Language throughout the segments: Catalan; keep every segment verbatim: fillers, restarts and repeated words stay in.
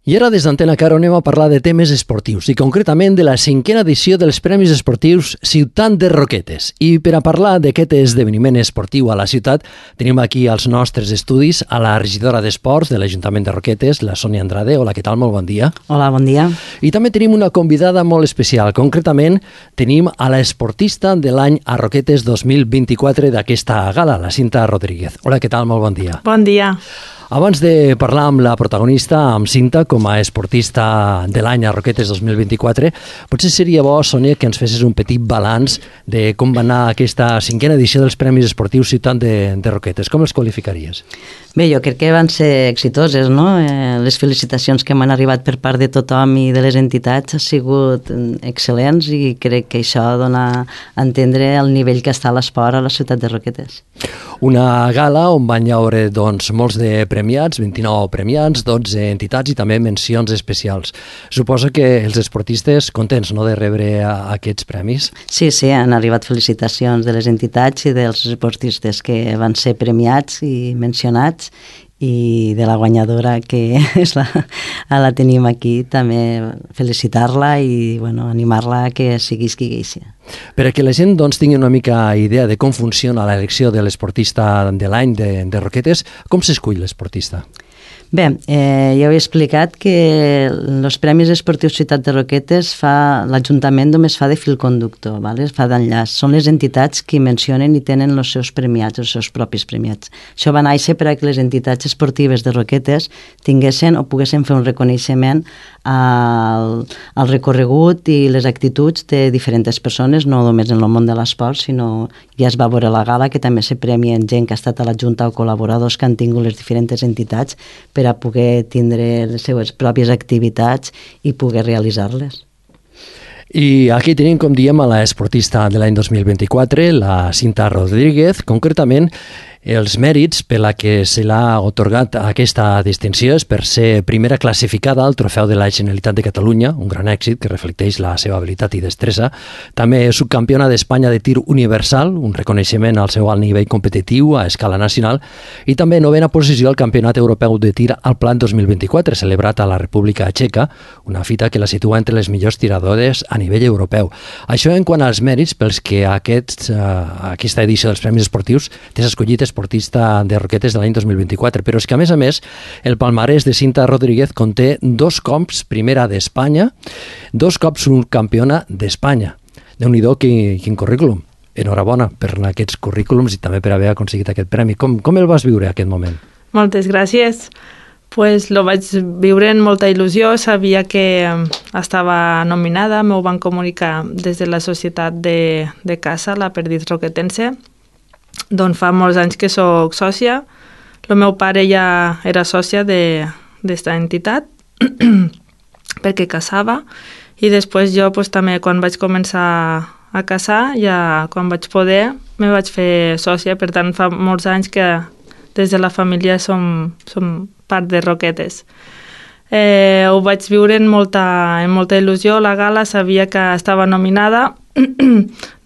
I ara des d'Antena Caro anem a parlar de temes esportius i concretament de la cinquena edició dels Premis Esportius Ciutat de Roquetes. I per a parlar d'aquest esdeveniment esportiu a la ciutat tenim aquí als nostres estudis a la regidora d'Esports de l'Ajuntament de Roquetes, la Sònia Andrade. Hola, què tal? Molt bon dia. Hola, bon dia. I també tenim una convidada molt especial. Concretament tenim a l'esportista de l'any a Roquetes dos mil vint-i-quatre d'aquesta gala, la Cinta Rodríguez. Hola, què tal? Molt bon dia. Bon dia. Abans de parlar amb la protagonista, amb Cinta, com a esportista de l'any a Roquetes dos mil vint-i-quatre, potser seria bo, Sònia, que ens fessis un petit balanç de com va anar aquesta cinquena edició dels Premis Esportius Ciutat de, de Roquetes. Com els qualificaries? Bé, jo crec que van ser exitoses, no? Eh, les felicitacions que m'han arribat per part de tothom i de les entitats han sigut excel·lents i crec que això dona a entendre el nivell que està l'esport a la ciutat de Roquetes. Una gala on van haure doncs, molts de premiats, vint-i-nou premiats, dotze entitats i també mencions especials. Suposo que els esportistes contents, no?, de rebre aquests premis? Sí, sí, han arribat felicitacions de les entitats i dels esportistes que van ser premiats i mencionats, i de la guanyadora, que és la, la tenim aquí, també felicitar-la i bueno, animar-la a que siguis qui gueixi. Per a que la gent doncs, tingui una mica idea de com funciona l'elecció de l'esportista de l'any de, de Roquetes, com s'escull l'esportista? Bé, eh, ja ho he explicat que els Premis Esportius Ciutat de Roquetes fa l'Ajuntament només fa de fil conductor, ¿vale? Fa d'enllaç. Són les entitats que mencionen i tenen els seus premiats, els seus propis premiats. Això va néixer per a que les entitats esportives de Roquetes tinguessin o poguessin fer un reconeixement al, al recorregut i les actituds de diferents persones, no només en el món de l'esport, sinó ja es va veure a la gala que també se premien gent que ha estat a la Junta o col·laboradors que han tingut les diferents entitats per a poder tindre les seves pròpies activitats i poder realitzar-les. I aquí tenim, com diem, a l'esportista de l'any dos mil vint-i-quatre, la Cinta Rodríguez, concretament els mèrits per la que se l'ha otorgat aquesta distinció és per ser primera classificada al Trofeu de la Generalitat de Catalunya, un gran èxit que reflecteix la seva habilitat i destresa. També és subcampiona d'Espanya de tir universal, un reconeixement al seu alt nivell competitiu a escala nacional, i també novena posició al Campionat Europeu de Tir al Plat dos mil vint-i-quatre, celebrat a la República Txeca, una fita que la situa entre les millors tiradores a nivell europeu. Això en quant als mèrits pels que aquests, uh, aquesta edició dels Premis Esportius t'has escollit esportista de Roquetes de l'any dos mil vint-i-quatre, però és que a més a més el palmarès de Cinta Rodríguez conté dos cops primera d'Espanya, dos cops subcampiona d'Espanya. Déu-n'hi-do, quin, quin currículum. Enhorabona per aquests currículums i també per haver aconseguit aquest premi. Com, com el vas viure aquest moment? Moltes gràcies. Pues lo vaig viure amb molta il·lusió, sabia que estava nominada, m'ho van comunicar des de la societat de, de casa, la Perdiz Roquetense. Doncs fa molts anys que sóc sòcia. El meu pare ja era sòcia d'esta entitat perquè casava i després jo pues, també quan vaig començar a casar, ja quan vaig poder, me vaig fer sòcia. Per tant, fa molts anys que des de la família som, som part de Roquetes. Eh, ho vaig viure amb molta, amb molta il·lusió. La gala sabia que estava nominada.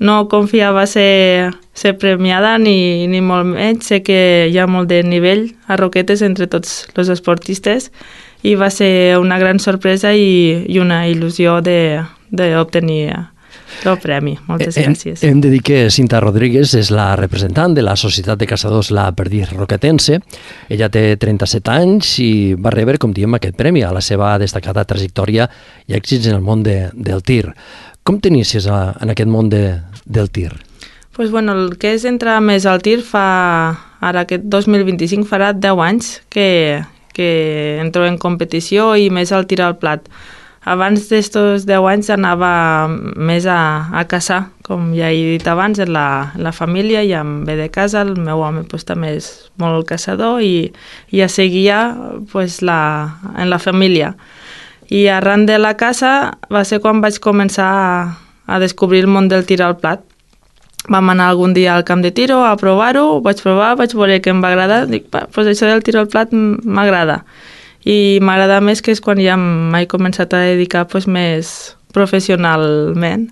No confiava ser, ser premiada ni, ni molt menys. Sé que hi ha molt de nivell a Roquetes entre tots els esportistes i va ser una gran sorpresa i, i una il·lusió d'obtenir el premi. Moltes gràcies. Hem, hem de dir que Cinta Rodríguez és la representant de la Societat de Caçadors La Perdiz Roquetense. Ella té trenta-set anys i va rebre, com diem, aquest premi a la seva destacada trajectòria i èxits en el món de, del tir. Com t'inicies en aquest món de, del tir? Pues bueno, el que és entrar més al tir fa, ara aquest dos mil vint-i-cinc farà deu anys que, que entro en competició i més al tir al plat. Abans d'estos deu anys anava més a, a caçar, com ja he dit abans, en la, en la família, ja em ve de casa, el meu home pues, també és molt caçador i, i ja seguia pues, la, en la família. I arran de la casa va ser quan vaig començar a, a descobrir el món del tir al plat. Vam anar algun dia al camp de tiro a provar-ho, vaig provar, vaig veure que em va agradar, dic, pues això del tir al plat m'agrada. I m'agrada més que és quan ja m'he començat a dedicar pues, més professionalment.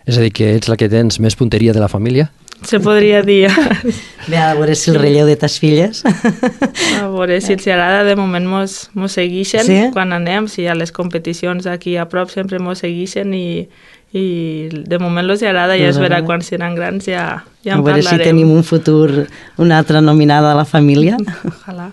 És a dir, que ets la que tens més punteria de la família? se podria dir. Bé, a veure si el relleu de tes filles. A veure si els agrada, de moment mos, mos segueixen sí? quan anem, si a les competicions aquí a prop sempre mos segueixen i, i de moment els agrada, ja es verà quan seran grans, ja, ja en a veure parlarem. si tenim un futur, una altra nominada a la família. Ojalà.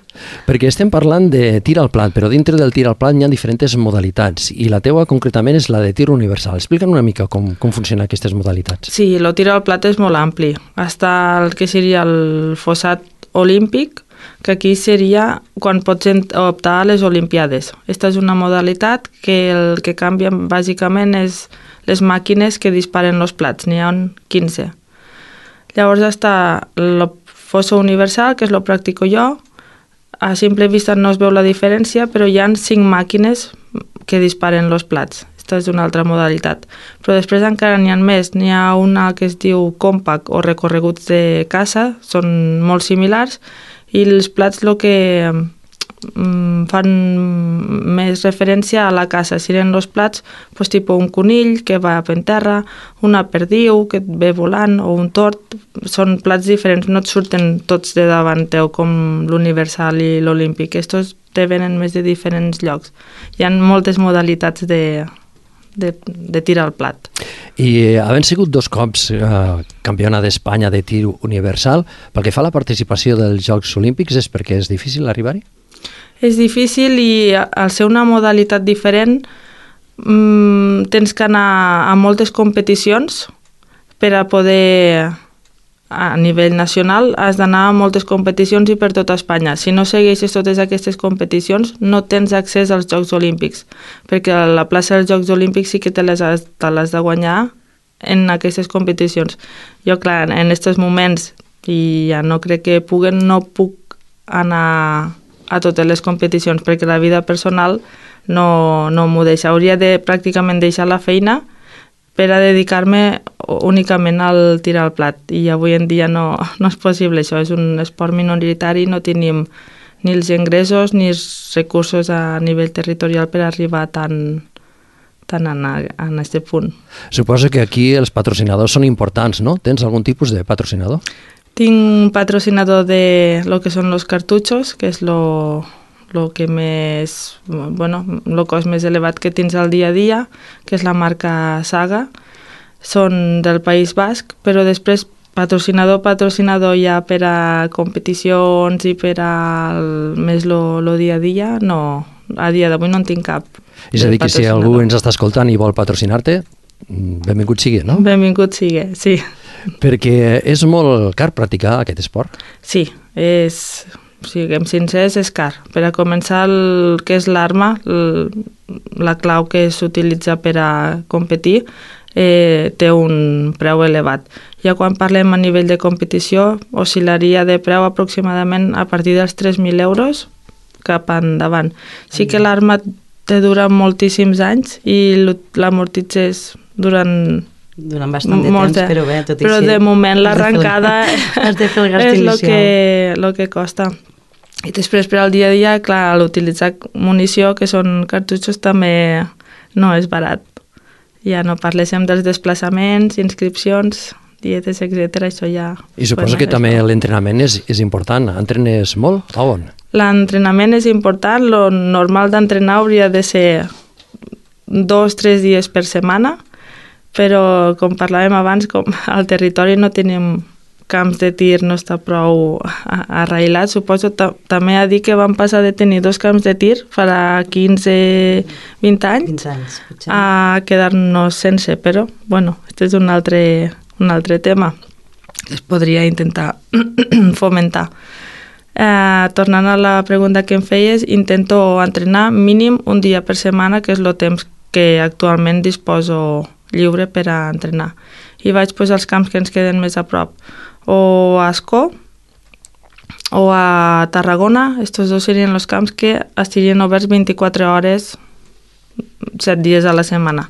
Perquè estem parlant de tir al plat, però dintre del tir al plat hi ha diferents modalitats i la teua concretament és la de tir universal. Explica'm una mica com, com funcionen aquestes modalitats. Sí, el tir al plat és molt ampli. Està el que seria el fossat olímpic, que aquí seria quan pots optar a les Olimpiades. Aquesta és una modalitat que el que canvia bàsicament és les màquines que disparen els plats, n'hi ha quinze. Llavors està el fosso universal, que és el practico jo. A simple vista no es veu la diferència, però hi ha cinc màquines que disparen els plats. Aquesta és una altra modalitat. Però després encara n'hi ha més. N'hi ha una que es diu compact o recorreguts de caça, són molt similars, i els plats el que mm, fan més referència a la caça. Serien els plats, pues, tipus un conill que va en terra, una perdiu que et ve volant o un tort. Són plats diferents, no et surten tots de davant teu com l'universal i l'olímpic. Estos te venen més de diferents llocs. Hi ha moltes modalitats de, de, de tir al plat. I havent sigut dos cops eh, campiona d'Espanya de tir universal, pel que fa a la participació dels Jocs Olímpics és perquè és difícil arribar-hi? És difícil i al ser una modalitat diferent mmm, tens que anar a moltes competicions per a poder, a nivell nacional, has d'anar a moltes competicions i per tota Espanya. Si no segueixes totes aquestes competicions, no tens accés als Jocs Olímpics, perquè la plaça dels Jocs Olímpics sí que te les has, te les de guanyar en aquestes competicions. Jo, clar, en aquests moments, i ja no crec que puguen, no puc anar a totes les competicions, perquè la vida personal no, no m'ho deixa. Hauria de pràcticament deixar la feina per a dedicar-me únicament al tir al plat, i avui en dia no, no és possible. Això és un esport minoritari, no tenim ni els ingressos ni els recursos a nivell territorial per arribar tan, tan en, en aquest punt. Suposo que aquí els patrocinadors són importants, no? Tens algun tipus de patrocinador? Tinc un patrocinador de lo que són los cartutxos, que és lo, lo que més, bueno, lo cost més elevat que tens al dia a dia, que és la marca Saga. Són del País Basc, però després patrocinador, patrocinador ja per a competicions i per a el, més lo, lo dia a dia, no, a dia d'avui no en tinc cap. És a dir, que si algú ens està escoltant i vol patrocinar-te, benvingut sigui, no? Benvingut sigui, sí. Perquè és molt car practicar aquest esport? Sí, és, siguem sincers, és car. Per a començar, el que és l'arma, la clau que s'utilitza per a competir, eh, té un preu elevat. Ja quan parlem a nivell de competició, oscil·laria de preu aproximadament a partir dels tres mil euros cap endavant. Sí que l'arma te dura moltíssims anys i l'amortitzes durant durant bastant de molt, temps, però bé, tot i però així... de moment l'arrencada és el que, lo que costa. I després per al dia a dia, clar, l'utilitzar munició, que són cartutxos, també no és barat. Ja no parléssim dels desplaçaments, inscripcions, dietes, etcètera. Això ja... I suposo que també l'entrenament és, és important. Entrenes molt? A on? L'entrenament és important. Lo normal d'entrenar hauria de ser dos, tres dies per setmana, però com parlàvem abans, com al territori no tenim camps de tir, no està prou arrailat. Suposo també a dir que vam passar de tenir dos camps de tir farà quinze, vint anys, anys a quedar-nos sense, però bueno, aquest és un altre, un altre tema que es podria intentar fomentar. Eh, tornant a la pregunta que em feies, intento entrenar mínim un dia per setmana, que és el temps que actualment disposo lliure per a entrenar. I vaig pues, als camps que ens queden més a prop, o a Ascó o a Tarragona. Estos dos serien els camps que estarien oberts vint-i-quatre hores, set dies a la setmana.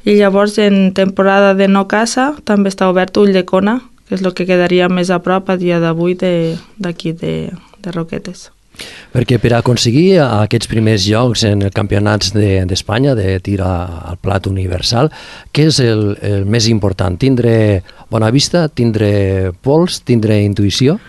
I llavors en temporada de no caça també està obert Ulldecona, que és el que quedaria més a prop a dia d'avui d'aquí de, de, de Roquetes. Perquè per aconseguir aquests primers llocs en els campionats d'Espanya de, de tir al plat universal, què és el, el més important? Tindre bona vista, tindre pols, tindre intuïció?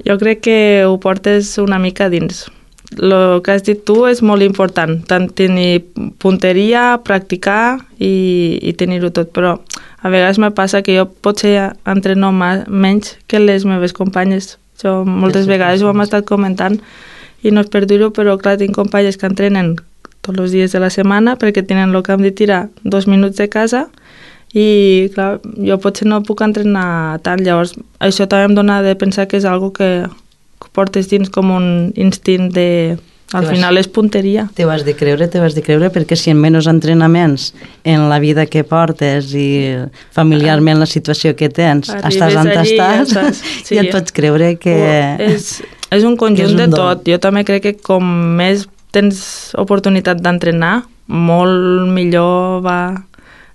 Jo crec que ho portes una mica dins. El que has dit tu és molt important, tant tenir punteria, practicar i, i tenir-ho tot, però a vegades me passa que jo potser entreno menys que les meves companyes. Jo moltes vegades ho hem estat comentant i no és per dir-ho, però clar, tinc companyes que entrenen tots els dies de la setmana perquè tenen el camp de tirar dos minuts de casa i clar, jo potser no puc entrenar tant, llavors això també em dona de pensar que és algo que portes dins com un instint de... Al final és punteria. Te ho has de creure, te ho has de creure, perquè si en menys entrenaments en la vida que portes i familiarment la situació que tens, Arribes estàs on allí, estàs, ja, estàs, sí. ja et pots creure que... Oh, és, és un conjunt és un de don. tot. Jo també crec que com més tens oportunitat d'entrenar, molt millor va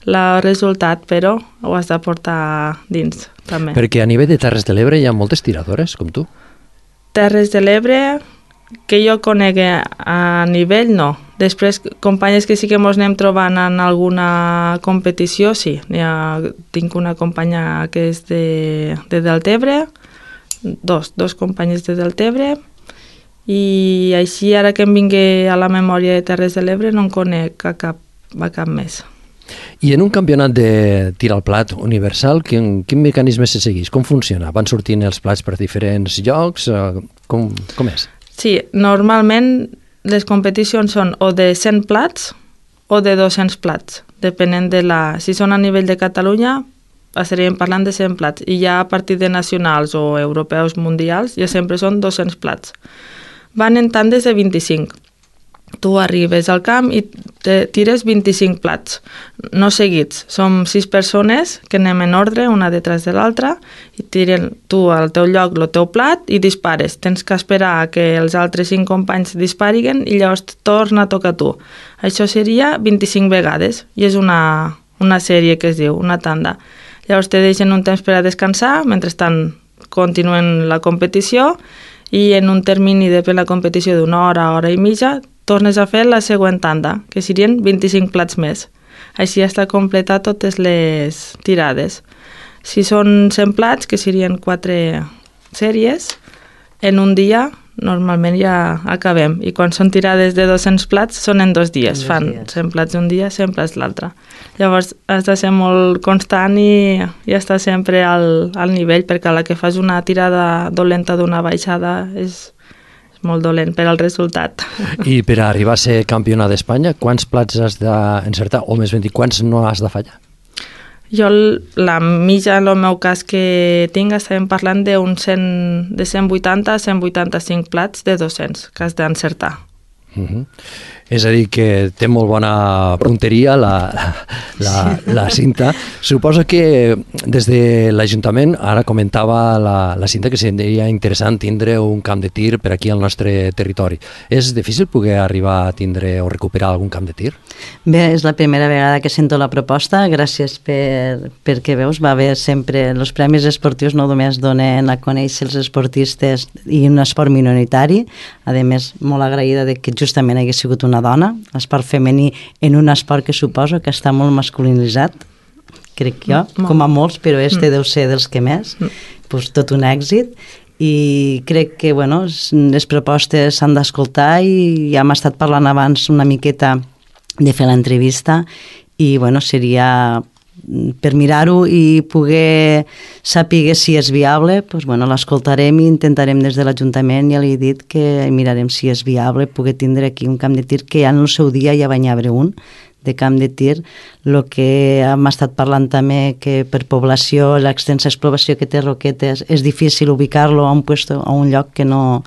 el resultat, però ho has de portar dins, també. Perquè a nivell de Terres de l'Ebre hi ha moltes tiradores, com tu. Terres de l'Ebre, que jo conec a nivell, no. Després, companyes que sí que ens anem trobant en alguna competició, sí. Ha, tinc una companya que és de, de Deltebre, dos, dos companyes de Deltebre, i així, ara que em vingui a la memòria de Terres de l'Ebre, no en conec a cap, a cap més. I en un campionat de tir al plat universal, quin, quin mecanisme se segueix? Com funciona? Van sortint els plats per diferents llocs? Com, com és? Sí, normalment les competicions són o de cent plats o de dos-cents plats, depenent de la... Si són a nivell de Catalunya, estaríem parlant de cent plats, i ja a partir de nacionals o europeus mundials ja sempre són dos-cents plats. Van en tandes de vint-i-cinc. Tu arribes al camp i te tires vint-i-cinc plats, no seguits. Som sis persones que anem en ordre, una detrás de l'altra, i tiren tu al teu lloc el teu plat i dispares. Tens que esperar que els altres cinc companys dispariguen i llavors torna a tocar tu. Això seria vint-i-cinc vegades i és una, una sèrie que es diu, una tanda. Llavors te deixen un temps per a descansar, mentrestant continuen la competició i en un termini de la competició d'una hora, hora i mitja, tornes a fer la següent tanda, que serien vint-i-cinc plats més. Així està completar totes les tirades. Si són cent plats, que serien quatre sèries, en un dia normalment ja acabem. I quan són tirades de dos-cents plats, són en dos dies. En dos Fan dies. cent plats un dia, cent plats l'altre. Llavors has de ser molt constant i, i estar sempre al, al nivell, perquè a la que fas una tirada dolenta d'una baixada és... molt dolent per al resultat. I per arribar a ser campionat d'Espanya, quants plats has d'encertar? O més ben dit, quants no has de fallar? Jo, la mitja, en el meu cas que tinc, estàvem parlant d'un cent, de cent vuitanta a cent vuitanta-cinc plats de dos-cents que has d'encertar. Uh-huh. És a dir, que té molt bona punteria la, la, la Cinta. Suposo que des de l'Ajuntament, ara comentava la, la Cinta que seria interessant tindre un camp de tir per aquí al nostre territori. És difícil poder arribar a tindre o recuperar algun camp de tir? Bé, és la primera vegada que sento la proposta. Gràcies per, perquè veus, va haver sempre... Els premis esportius no només donen a conèixer els esportistes i un esport minoritari, a més, molt agraïda de que justament hagués sigut una dona, l'esport femení en un esport que suposo que està molt masculinitzat, crec jo, mm, com a molts, però este mm. deu ser dels que més, mm. pues, tot un èxit, i crec que bueno, les propostes s'han d'escoltar i ja hem estat parlant abans una miqueta de fer l'entrevista i bueno, seria per mirar-ho i poder saber si és viable, doncs, bueno, l'escoltarem i intentarem des de l'Ajuntament, ja li he dit que mirarem si és viable poder tindre aquí un camp de tir que ja en el seu dia ja va haver un de camp de tir. El que hem estat parlant també que per població, l'extensa exploració que té Roquetes, és difícil ubicar-lo a un puesto, a un lloc que no,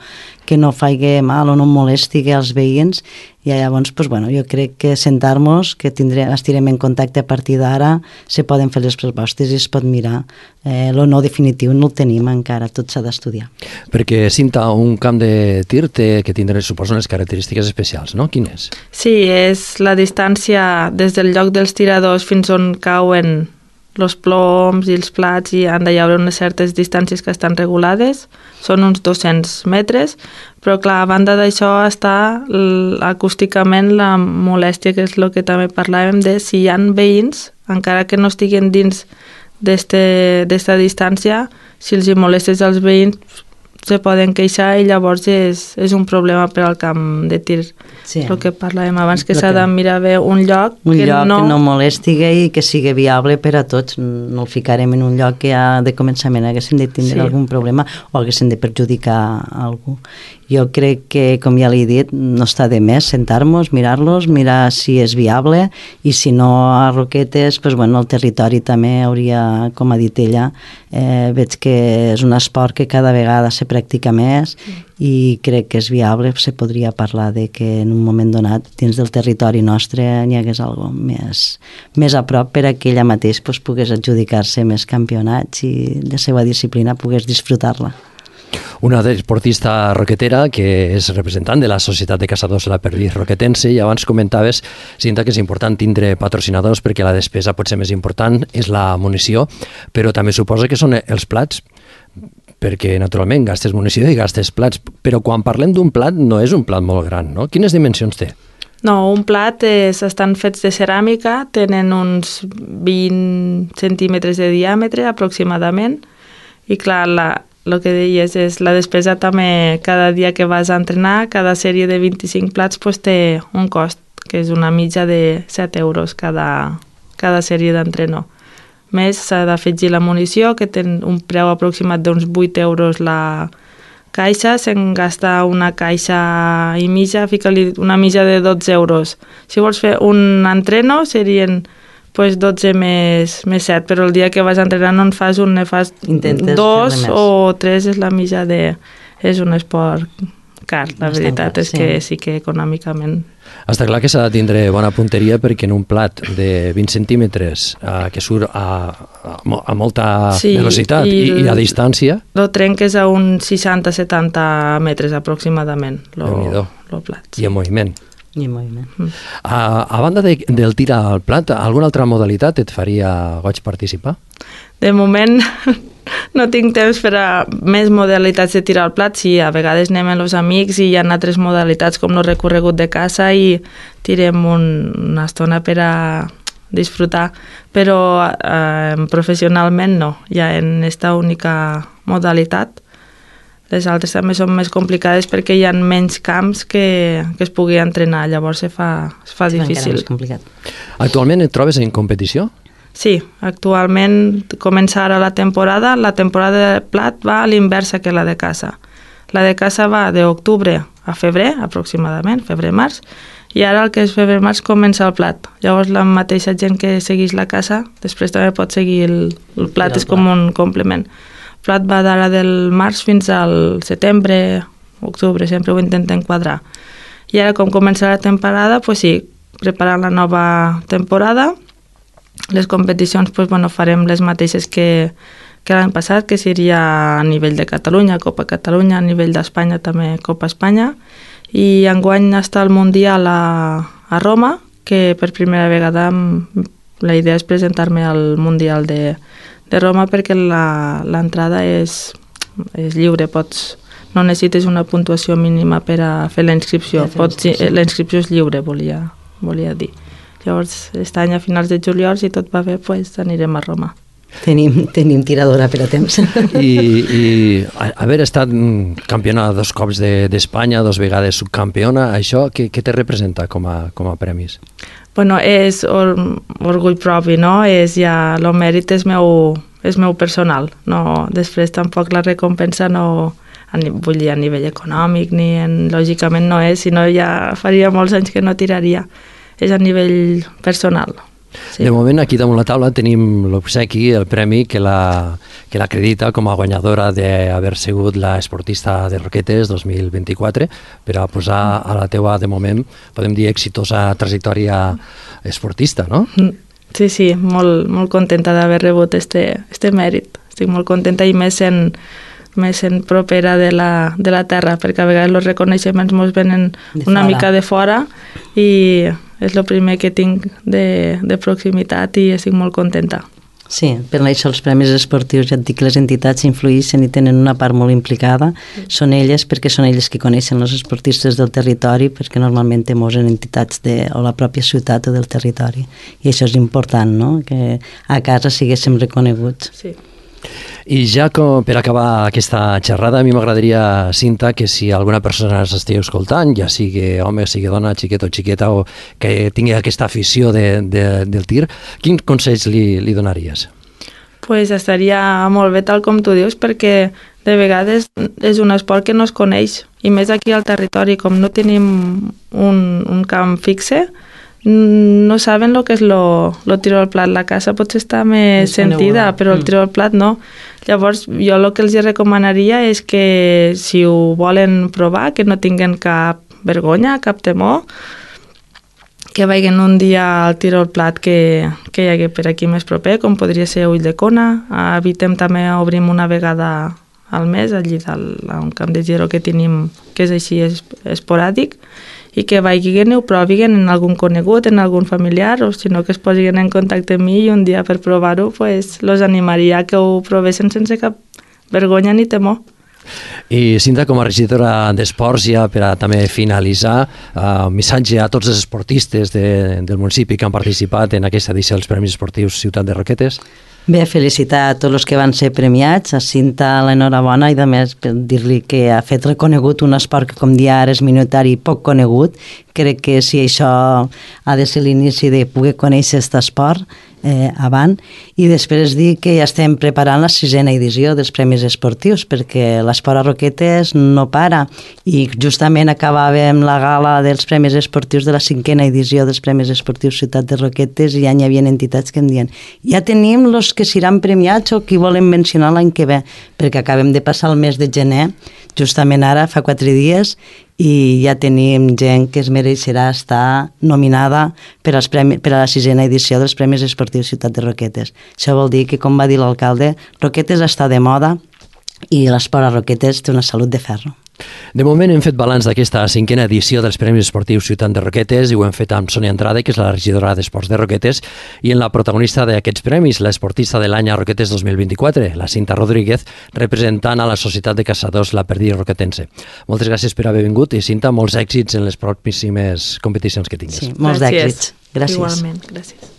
que no faci mal o no molesti als veïns, i llavors pues, bueno, jo crec que sentar-nos, que tindrem, estirem en contacte a partir d'ara, se poden fer les propostes i es pot mirar. Eh, lo no definitiu no el tenim encara, tot s'ha d'estudiar. Perquè, Cinta, un camp de tir té que tindre, suposo, unes característiques especials, no? Quin és? Sí, és la distància des del lloc dels tiradors fins on cauen els ploms i els plats i han de haver unes certes distàncies que estan regulades, són uns dos-cents metres, però clar, a banda d'això està acústicament la molèstia, que és el que també parlàvem de si hi ha veïns, encara que no estiguen dins d'esta distància, si els hi molestes als veïns se poden queixar i llavors és, és un problema per al camp de tir. Sí. El que parlàvem abans, que s'ha de mirar bé un lloc, un que, lloc no... que no molesti i que sigui viable per a tots. No el ficarem en un lloc que ja de començament haguessin de tindre sí. algun problema o haguessin de perjudicar a algú. Jo crec que, com ja l'he dit, no està de més sentar-nos, mirar-los, mirar si és viable i si no a Roquetes, doncs, bueno, el territori també hauria, com ha dit ella, eh, veig que és un esport que cada vegada se practica més i crec que és viable, se podria parlar de que en un moment donat dins del territori nostre n'hi hagués alguna més, més a prop per a que ella mateix doncs, pogués adjudicar-se més campionats i de la seva disciplina pogués disfrutar-la. Una deportista roquetera que és representant de la Societat de Caçadors de la Perdiz Roquetense, i abans comentaves, Cinta, que és important tindre patrocinadors perquè la despesa pot ser més important, és la munició, però també suposa que són els plats, perquè naturalment gastes munició i gastes plats, però quan parlem d'un plat no és un plat molt gran, no? Quines dimensions té? No, un plat és, estan fets de ceràmica, tenen uns vint centímetres de diàmetre aproximadament, i clar, la el que deies és la despesa també cada dia que vas a entrenar, cada sèrie de vint-i-cinc plats pues, té un cost, que és una mitja de set euros cada, cada sèrie d'entrenor. Més s'ha d'afegir la munició, que té un preu aproximat d'uns vuit euros la caixa, se'n gasta una caixa i mitja, fica-li una mitja de dotze euros. Si vols fer un entreno serien pues dotze més, més set, però el dia que vas a entrenar no en fas un, ne fas Intentes dos o tres, és la mitja de... És un esport car, la Bastant veritat car, és sí. que sí que econòmicament... Està clar que s'ha de tindre bona punteria perquè en un plat de vint centímetres eh, que surt a, a, a molta sí, velocitat i, i, i a distància... Lo trenques a uns seixanta setanta metres aproximadament, el plat. Sí. I en moviment. I moviment. A, a banda de, del tir al plat, alguna altra modalitat et faria goig participar? De moment no tinc temps per a més modalitats de tirar al plat. Sí, a vegades anem amb els amics i hi ha altres modalitats com el recorregut de caça i tirem un, una estona per a disfrutar, però eh, professionalment no, ja en esta única modalitat. Les altres també són més complicades perquè hi ha menys camps que, que es pugui entrenar, llavors se fa, es fa sí, difícil. Actualment et trobes en competició? Sí, actualment comença ara la temporada. La temporada de plat va a l'inversa que la de caça. La de caça va d'octubre a febrer, aproximadament, febrer-març, i ara el que és febrer-març comença el plat. Llavors la mateixa gent que segueix la caça després també pot seguir el, el plat, és com un complement. El plat va d'ara del març fins al setembre, octubre, sempre ho intentem quadrar. I ara, com comença la temporada, pues sí, preparant la nova temporada, les competicions pues, bueno, farem les mateixes que, que l'any passat, que seria a nivell de Catalunya, Copa Catalunya, a nivell d'Espanya també Copa Espanya, i enguany està el Mundial a, a Roma, que per primera vegada la idea és presentar-me al Mundial de de Roma perquè l'entrada és, és lliure, pots, no necessites una puntuació mínima per a fer la inscripció, la inscripció és lliure, volia, volia dir. Llavors, aquest any a finals de juliol, si tot va bé, pues, anirem a Roma. Tenim, tenim tiradora per a temps. I, i haver estat campiona dos cops d'Espanya, de, dos vegades subcampiona, això què, què te representa com a, com a premis? Bueno, és or, orgull propi, no? És ja, el mèrit és meu, és meu personal. No, després tampoc la recompensa no, vull dir, a nivell econòmic, ni en, lògicament no és, sinó ja faria molts anys que no tiraria. És a nivell personal. Sí. De moment, aquí damunt la taula tenim l'obsequi, el premi que la que l'acredita com a guanyadora d'haver sigut la esportista de Roquetes dos mil vint-i-quatre, per a posar a la teua, de moment, podem dir, exitosa trajectòria esportista, no? Sí, sí, molt, molt contenta d'haver rebut este, este mèrit. Estic molt contenta i més en, més en propera de la, de la terra, perquè a vegades els reconeixements ens venen de una fora. mica de fora i és el primer que tinc de, de proximitat i estic molt contenta. Sí, per això els premis esportius, ja et dic que les entitats influïssin i tenen una part molt implicada. Són elles perquè són elles que coneixen els esportistes del territori, perquè normalment temos en entitats de o la pròpia ciutat o del territori. I això és important, no?, que a casa siguéssim reconeguts. Sí. I ja com per acabar aquesta xerrada, a mi m'agradaria, Cinta, que si alguna persona s'estigui escoltant, ja sigui home, sigui dona, xiquet o xiqueta, o que tingui aquesta afició de, de, del tir, quins consells li, li donaries? Pues estaria molt bé tal com tu dius, perquè de vegades és un esport que no es coneix, i més aquí al territori, com no tenim un, un camp fixe, no saben el que és lo, lo tiro al plat. La casa potser està més sentida, però el tiro al plat no. Llavors, jo el que els recomanaria és que si ho volen provar, que no tinguen cap vergonya, cap temor, que vagin un dia al tiro al plat que, que hi hagi per aquí més proper, com podria ser Ulldecona. A Vitem també obrim una vegada al mes, allí dalt, a un camp de giro que tenim, que és així es, esporàdic, i que vagin i ho provin en algun conegut, en algun familiar, o si no que es posin en contacte amb mi i un dia per provar-ho, pues, los animaria que ho provessin sense cap vergonya ni temor. I Cinta, com a regidora d'Esports, ja per a també finalitzar, uh, un missatge a tots els esportistes de, del municipi que han participat en aquesta edició dels Premis Esportius Ciutat de Roquetes. Bé, felicitar a tots els que van ser premiats, a Cinta l'enhorabona i a més dir-li que ha fet reconegut un esport que com dia ara és minoritari i poc conegut. Crec que si això ha de ser l'inici de poder conèixer aquest esport eh, avant, i després dir que ja estem preparant la sisena edició dels Premis Esportius, perquè l'esport a Roquetes no para, i justament acabàvem la gala dels Premis Esportius de la cinquena edició dels Premis Esportius Ciutat de Roquetes, i ja hi havia entitats que em diuen ja tenim els que seran premiats o qui volen mencionar l'any que ve, perquè acabem de passar el mes de gener, justament ara, fa quatre dies, i ja tenim gent que es mereixerà estar nominada per, als premis, per a la sisena edició dels Premis Esportius Ciutat de Roquetes. Això vol dir que, com va dir l'alcalde, Roquetes està de moda i l'esport a Roquetes té una salut de ferro. De moment hem fet balanç d'aquesta cinquena edició dels Premis Esportius Ciutat de Roquetes i ho hem fet amb Sònia Andrade, que és la regidora d'Esports de Roquetes, i en la protagonista d'aquests premis, l'esportista de l'any a Roquetes dos mil vint-i-quatre, la Cinta Rodríguez, representant a la Societat de Caçadors La Perdiz Roquetense. Moltes gràcies per haver vingut i, Cinta, molts èxits en les pròximes competicions que tinguis. Sí, molts d'èxits. Gràcies. Igualment, gràcies.